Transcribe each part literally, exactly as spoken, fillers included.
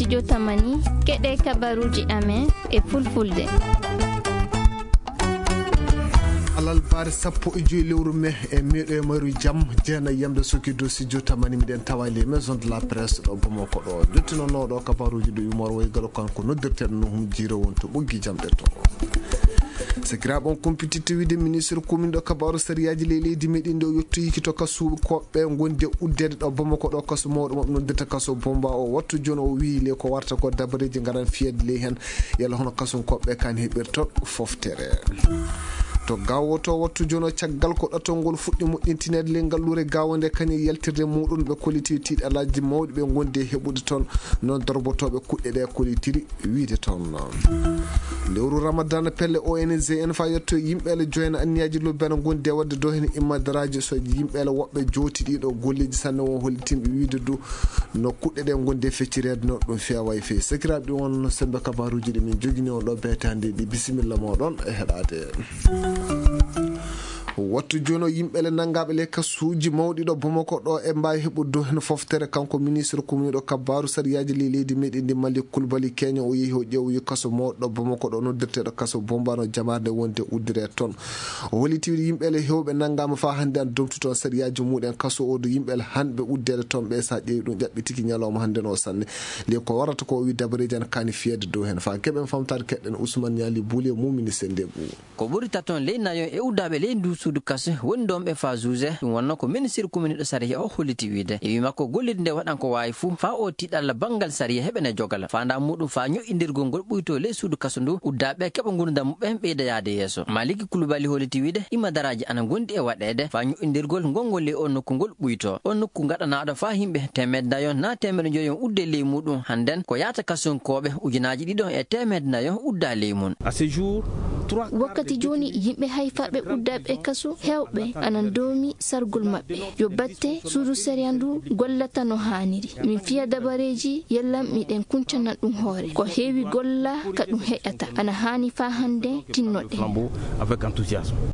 Jotamani, keɗe kabaruuji amen e fulfulde. Alarba sappo e joy lewru me e meɗo e maru jam, jeena yamde soki dosi jotamani miɗen tawa les maisons de la presse ɗo Bamako ɗo. Jottinonooɗo kabaruuji ɗo yumor way galo kanko noddirteɗo no hum jiiro wonto ɓoggi jamɗe to. Sakiraaɓe on kumpititte wiide ministre commune ɗo kabaru sariyaaji ley leydi meɗen ɗo yottoyiki to kasu koɓɓe gonde uddeede ɗo Bamako ɗo kasu mawɗo maɓɓe noddirta kasu Bomba o wattu jooni o wiyi le ko warta ko dabareeji ngaran fiyeede ley heen yalla hono kasun koɓɓe kan heɓirton foftere. To gawo to wattu jooni o caggal ko ɗatol ngol fuɗɗi moƴƴintineede ley ngalluure gawo nde kañum yaltirde muɗum ɓe kolliti tiiɗalaaji mawɗi ɓe gondi e heɓude toon noon dorbotooɓe kuɗɗe ɗe kollitiri wiide toon. Lewru Ramadan pelle O N G en fa yetto yimɓe ele joyna anniyaaji lobbana gondi e waɗde dow heen immadaraaji so yimɓe ele woɓɓe jooti ɗiɗo golleeji sanne won hollitinɓe wiide du no kuɗɗe ɗe gondi e feccireede no ɗum feewa e feewi. Sakiraaɓe ɗum won sembe kabaruuji ɗi min jogini on ɗo beetande ɗi bisimilla moɗon e heɗaade. Wattu jooni o yimɓe le nanngaɓe le kasuuji mawɗi ɗo Bamako ɗo e mbaawi heɓude dow heen foftere kanko ministre commune ɗo kabaru sariyaaji ley leydi meɗen ndi Malik Kulbali Keño o yehi o ƴeewoyi kaso mawɗo ɗo Bamako ɗo noddirteeɗo kaso Bombano jamaarde wonde uddire toon. O holliti wiide yimɓe le hewɓe nanngaama faa hannde an domtu toon sariyaaji muɗen kaso o do yimɓe le hanɓe uddeede toon ɓe sa ƴeewi ɗum ƴaɓɓitiki ñalawma hannde no sanne. Ley ko warata ko o wi dabareeji an kaani fiyeede dow heen faa keɓen famtaade keɗɗen Ousmane Ñaali Buuli e mumini sende buu. Ko ɓuri taton ley nayon e uddaaɓe ley ndu suudu kaso woni ɗon ɓe faa juge. Ɗum wonno ko ministre commune ɗo sariya o holliti wiide. E wi makko gollirde nde waɗan ko waawi fuu faa o tiiɗalla banngal sariya heɓene jogala. Faandaa muɗum faa ñoƴƴindirgol ngol ɓuyto ley suudu kaso ndu uddaaɓe keɓa ngurndan muɓɓen ɓeyda yaade yeeso. Maliki Kulubali holliti wiide imadaraaji ana ngondi e waɗeede faa ñoƴƴindirgol ngol ngol ley o nokku ngol ɓuyto. O nokku ngaɗanaaɗo faa yimɓe teemeɗe nayon naa teemeɗe njoyon udde ley muɗum hannden ko yaata kasunkooɓe ujunaaji ɗiɗo e teemeɗe nayon udda ley mum. Wakkati jooni, yimɓe hayfaaɓe uddaaɓe e kaso heewɓe ana ndoomi sargol maɓɓe. Yo batte suudu sariya ndu gollata no haaniri. Min fiya dabareeji yalla miɗen kuncana ɗum hoore. Ko heewi golla ka ɗum heƴata. Ana haani faa hannde tinnoɗen.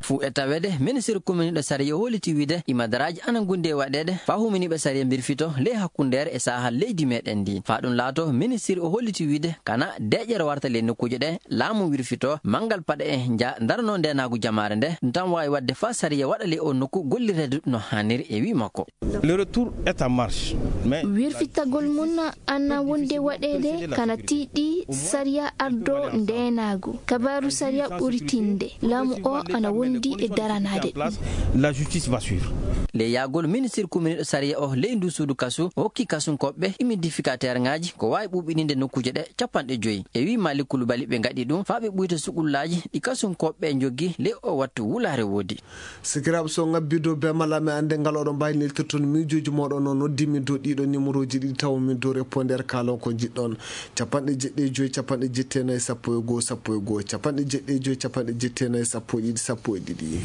Fuu e taweede, ministre commune ɗo sariya holliti wiide imadaraaji ana ngundi e waɗeede faa huminiiɓe sariya mbirfito ley hakkundeere e saahal leydi meɗen ndi. Faa ɗum laato, ministre o holliti wiide kana deeƴere warta ley nokkuuje ɗe laamu wirfito, manngal paɗe e nja daranoo ndeenaagu jamaare nde, ɗum tan waawi waɗde faa sariya waɗa ley o nokku gollireede no haaniri e wi makko. Le retour est en marche, mais wirfitagol mum ana wonde waɗeede kana tiiɗi sariya ardo ndeenaagu. Kabaaru sariya ɓuri tinde. Laamu o ana wondi e daranaade ɗum. La justice va suivre. Ley yaagol ministre commune ɗo sariya o ley ndu suudu kasu, o hokki kasunkooɓe humidificateur ŋaaji ko waawi ɓuuɓininde nokkuuje ɗe capanɗe joyi. E wi Malik Kulubali ɓe ngaɗi ɗum faa ɓe ɓuyta sukullaaji ɗi kasunkooɓe njogii ley o wattu wulaare woodi. Sikiraaɓe so ngabbi dow be mala mi annde ngal oɗon mbaawi neltirton miijooji mooɗon no noddi min dow ɗiɗo numéroji ɗiɗi tawa min dow répondeur kaalon ko njiɗɗon. Capanɗe jeɗɗi e joyi, capanɗe jetti e nayi, sappo e goo, sappo e goo, capanɗe jeɗɗi e joyi, capanɗe jetti e nayi, sappo e ɗiɗi, sappo e ɗiɗi.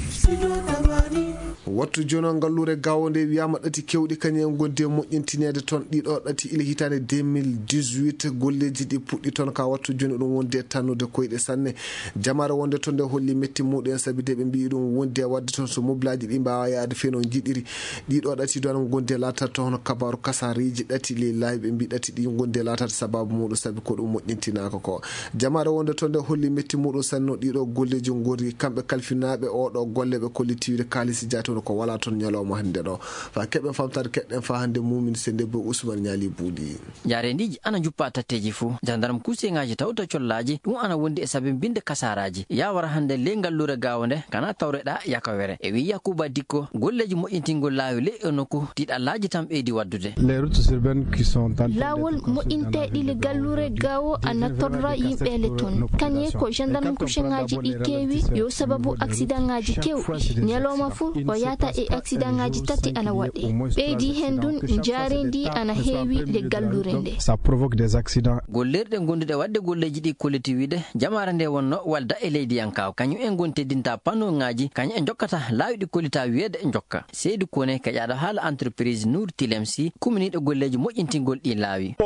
Wattu jono ngalluure gawo nde wiyaama ɗati kewɗi kañum en gondi e moƴƴintineede toon ɗiɗo ɗati ila hitaande deux mille dix-huit golleeji ɗi puɗɗi toon ka wattu jooni ɗum wondi e tannude koyɗe sanne. Jamaare wonde toon nde holli metti muɗum en sabi de ɓe mbiyi ɗum wondi e waɗde toon so moblaaji ɗi mbaawa yaade feno njiɗiri. Ɗiɗo ɗati ɗo ana gondi e laataade toon hono kabaaru kasareeji ɗati ley laawi ɓe mbi ɗati ɗi gondi e laataade sababu muɗum sabi ko ɗum moƴƴintinaaka ko. Jamaare wonde toon nde holli metti muɗum sanne no ɗiɗo golleeji ngorri kamɓe kalfinaaɓe oɗo golle ɓe kollitiwde kaalisi jaati hono ko wala toon ñalawma hannde ɗo. Faa keɓen famtaade keɗɗen faa hannde mumin sende bo Ousmane Ñaali Buuɗi. Njaareendiiji ana njuppa tatteeji fuu. Jandarm kuuseŋaaji tawta collaaji, ɗum ana wondi e sabinbinde kasaaraaji. Yaa wara hannde ley ngalluure gaawo nde, kana tawreɗaa yakawere. E wi'i Yakuba Dikko, golleeji moƴƴintingol laawi ley e nokku, tiiɗallaaji tan ɓeydi waddude. Les routes urbaines qui sont en train d'être construites dans la ville de Gao, qui devraient également permettre la sécurisation. Laawol moƴƴinteeɗi le galluure gaawo ana torra yimɓe ele toon. Kañe ko jandarm kuuseŋaaji ɗi keewi, yo sababu aksidaŋaaji kewɗi. Ñalawma fuu, o yahata e aksidaŋaaji tati ana waɗee. Ɓeydi heen ɗum, njaareendi ana heewi le galluure nde. Ça provoque des accidents. Gollirɗe gonduɗe waɗde golleeji ɗi kolliti wiide, jamaare nde wonno walda e Leydiyankaawo, kañum en ngoni teddinta panoŋaaji, kañum en njokkata laawi ɗi kollitaa wiyeede njokka. Seydi Kone, keƴaaɗo haala entreprise Nour Tilemsi, kuminiiɗo golleeji moƴƴintingol ɗi laawi.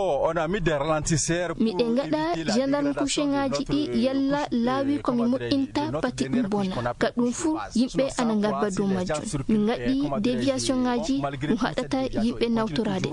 Miɗen ngaɗa gendarme coucheŋaaji ɗi yalla laawi ko mi moƴƴinta pati ɗum bona. Ka ɗum fuu, yimɓe ana ngarba dow majjum. Min ngaɗi déviationŋaaji ɗum haɗata yimɓe nawtoraade.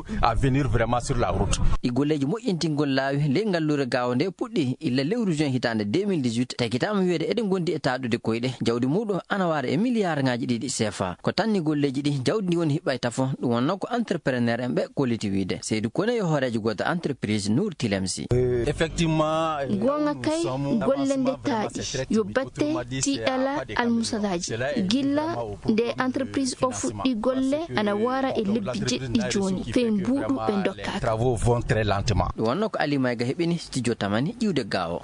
Ɗi golleeji moƴƴintingol laawi ley ngalluure Gaawo nde puɗɗi illa lewru juin hitaande deux mille dix-huit, takkitaama wiyeede eɗe ngondi e taaɗude koyɗe. Jawdi muuɗum ana waara e miliyaarŋaaji ɗiɗi sefa. Ko tanni golleeji ɗi, jawdi ndi woni hiɓɓay tafo, ɗum wonnoo ko entrepreneur en ɓe kolliti wiide. Seydi Kone yo hooreejo gooto entreprise Nour Tilemsi. Goonga kay, golle nde taaɗi, yo batte tiiɗala almusadaaji. Gilla nde entreprise o fuɗɗi golle, ana waara e lebbi jeɗɗi jooni, fey mbuuɗu ɓe ndokkaaka. Ɗum wonnoo ko Ali Mayga heɓini studio Tamani iwde Gaawo.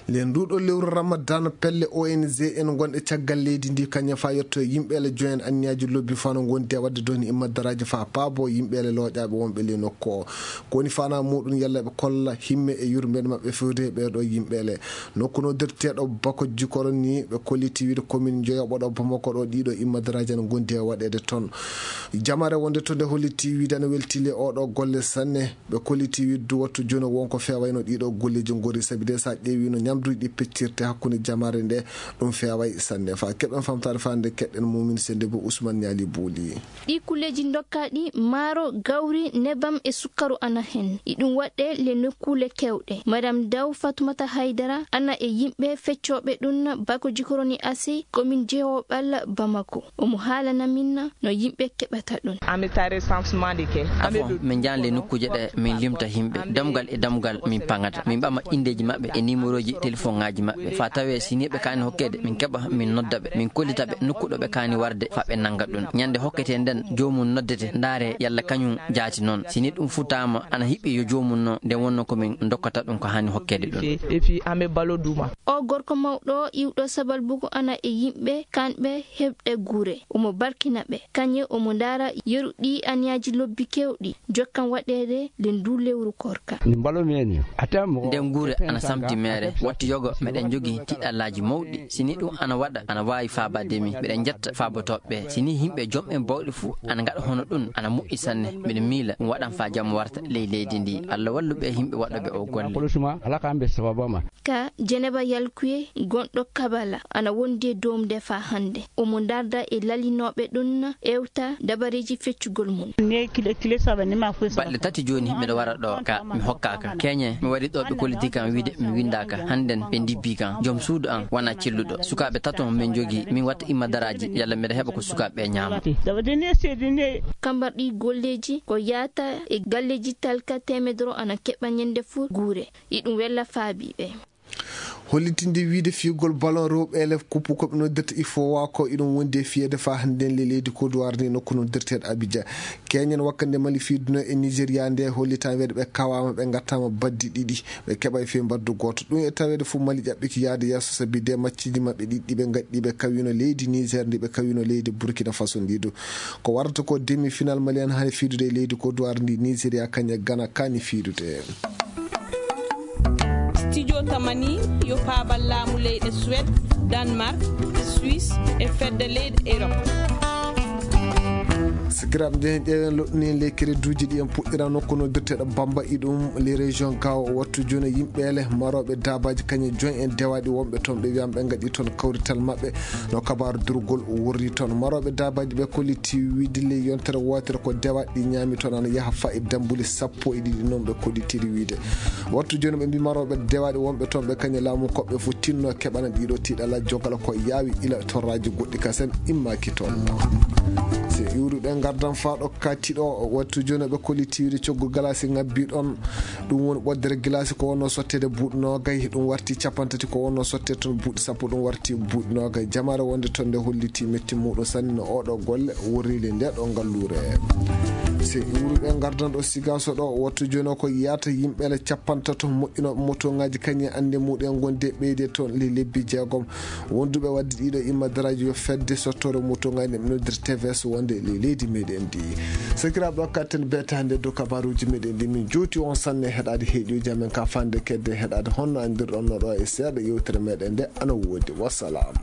Nden nduuɗo lewru Ramadan, pelle O N G en gonɗe caggal leydi ndi, kañum faa yetto e yimɓeele joyen anniyaaji lobbi fano ngondi e waɗde doni imma daraaji faa paabo yimɓeele looƴaaɓe wonɓe ley nokku o. Ko woni fana muɗum, yalla ɓe kolla himme e yurmeende maɓɓe fewde e ɓeeɗo yimɓeele. Nokku no dirteeɗo Bako Jikoro ni, ɓe kolliti wiide komin joyoɓo ɗo Bamako ɗo, ɗiɗo imma daraaji ana ngondi e waɗeede toon. Jamare wonde to nde holliti wiide ana weltile oɗo golle sanne. Ɓe kolliti wiide du wattu jooni wonko feewayno ɗiɗo golleeji ngori, sabi de sa ƴeewi no ñamduuji ɗi peccirte hakkunde jamare nde, ɗum feeway sanne. Fa keɓen famtaade fa nde keɗen Mumin Sende bo Usman Ñaali Buuli. Ɗi kulleeji ndokkaaɗi maaro, gawri, nebam e sukkaru ana hen. Iɗum waɗɗe le nokkuule kewɗe. Madame Daw Fatumata Haydara ana e yimɓe feccooɓe ɗum Bako Jikoroni Asi, komin Jehoɓal Bamako. Omo haalana min no yimɓe keɓata ɗum. Afo, min njahan le nokkuuje ɗe, min limta yimɓe. Damgal e damgal min paŋata. Min ɓama indeeji maɓɓe e nimerooji telefoŋaaji maɓɓe. Fa tawee si ni ɓe kaani hokkeede, min keɓa, min nodda ɓe, min kollita ɓe nokku ɗo ɓe kaani warde, fa ɓe nannga ɗum. Ñande hokkete nden, joomum noddete, ndaare yalla kañum jaati noon. Si ni ɗum futaama, ana hiɓɓi yo joomum no, nden wonno ko min ndokkata ɗum ko haani hokkeede ɗum. O gorko mawɗo iwɗo Sabalbugu ana e yimɓe kanɓe heɓɗe gure. Omo barkina ɓe. Kañe omo ndaara yeru ɗi aniyaaji lobbi kewɗi jokkan waɗeede le ndu lewru korka. Nden gure ana samdi meere. Wattu yogo meɗen jogi tiɗallaaji mawɗi. Si ni ɗum ana waɗa, ana waawi faabaade mi. Meɗen njetta faabotooɓe ɓe. Si ni yimɓe jom en bawɗe fuu ana ngaɗa hono ɗum, ana moƴƴi sanne. Miɗo miila ɗum waɗan faa jam warta ley leydi ndi. Allah wallu ɓe yimɓe waɗooɓe o golle. Ka Jeneba Yalkuye, gonɗo Kabala, ana wondi e doomde faa hannde. Omo ndarda e lalinooɓe ɗum, ewta dabareeji feccugol mum. Baɗɗe tati jooni miɗo wara ɗo ka mi hokkaaka. Keñe mi wari ɗo ɓe kolliti kan wiide mi winndaaka. Hannden ɓe ndibbi kan. Jom suudu an wona celluɗo. Sukaaɓe tato min jogi, min watta imma daraaji, yalla miɗa heɓa ko sukaaɓe ɓe ñaama. Kambarɗi golleeji ko yaata e galleeji talka teemedoro ana keɓa ñande fuu guure. Iɗum wella faabiiɓe. Hollitinde wiide fiyugol ballon rewɓe ele kuppu ko ɓe noddirta ifowa ko iɗum wondi e fiyeede faa hannden le leydi Côte d'Ivoire ni nokku noddirteeɗo Abidjan. Keñen wakkande Mali fiiduno e Nigeria nde hollitan weede ɓe kawaama, ɓe ngattaama baddi ɗiɗi, ɓe keɓa e fii mbaddu gooto. Ɗum e taweede fof Mali ƴaɓɓiki yaade yeeso sabi de matchiji maɓɓe ɗiɗi ɓe ngaɗɗi ɓe kawino leydi Niger ndi ɓe kawino leydi Burkina Faso ndi du. Ko warata ko demi final Mali en hani fiidude e leydi Côte d'Ivoire ndi Nigeria kañe Ghana kani fiidude. Studio Tamani yo paabal laamu leyɗe Suède, Danemark, Suisse e fedde leyɗe Europe. Sikiraaɓe, njehen ƴeewen loɗɗini en ley kereduuji ɗi en puɗɗira nokku no birteɗo Bamba iɗum les régions gawo o wattu jooni yimɓe ele marooɓe daabaaji kañe joyi en dewaaɗi wonɓe toon ɓe wiyama ɓe ngaɗi toon kawrital maɓɓe. No kabaaru durgol wurri toon, marooɓe daabaaji ɓe kolliti wiide ley yontere wootere ko dewaaɗi ɗi ñaami toon ana yaha faa e dambuuli sappo e ɗiɗi noon ɓe kollitiri wiide. Wattu jooni ɓe mbii marooɓe dewaaɗi wonɓe toon ɓe kañe laamu koɓɓe fof tinno keɓana ɗiɗo tiiɗala jogal ko yaawi ila torraaji goɗɗi kasen immaaki toon. So iwruɗen ngardan faa ɗo katiɗo wattu jooni ɓe kolliti wiide coggu galasi ngabbi ɗon. Ɗum woni ɓoddere gilasi ko wonno sottede buuɗi noogay, ɗum warti capanɗe tati ko wonno sottede toon buuɗi sappo ɗum warti buuɗi noogay. Jamaare wonde toon nde holliti metti muɗum sanne no oɗo golle wurrili nde ɗo ngalluure. Se iwruɗe ngardan ɗo Sigaso ɗo wattu jooni o ko yiyata yimɓe ele capanɗe tato moƴƴinooɓe motoŋaaji kañum e annde muɗum e gonde ɓeyde toon le lebbi jeegom. Wonduɓe wadde ɗiɗo imma daraaji yo fedde sottore motoŋaaji nde ɓe noddir T V S wonde le Idi meɗen ndi sakiraaɓe ɗo katten betaande dow kabaruuji meɗen ndi min juuti on sanne heɗaade heeɗiyoji amen ka fande kedde heɗaade honno anndirɗon no ɗo e seeɗa yewtere meɗen nde ana woodi. Wassalam.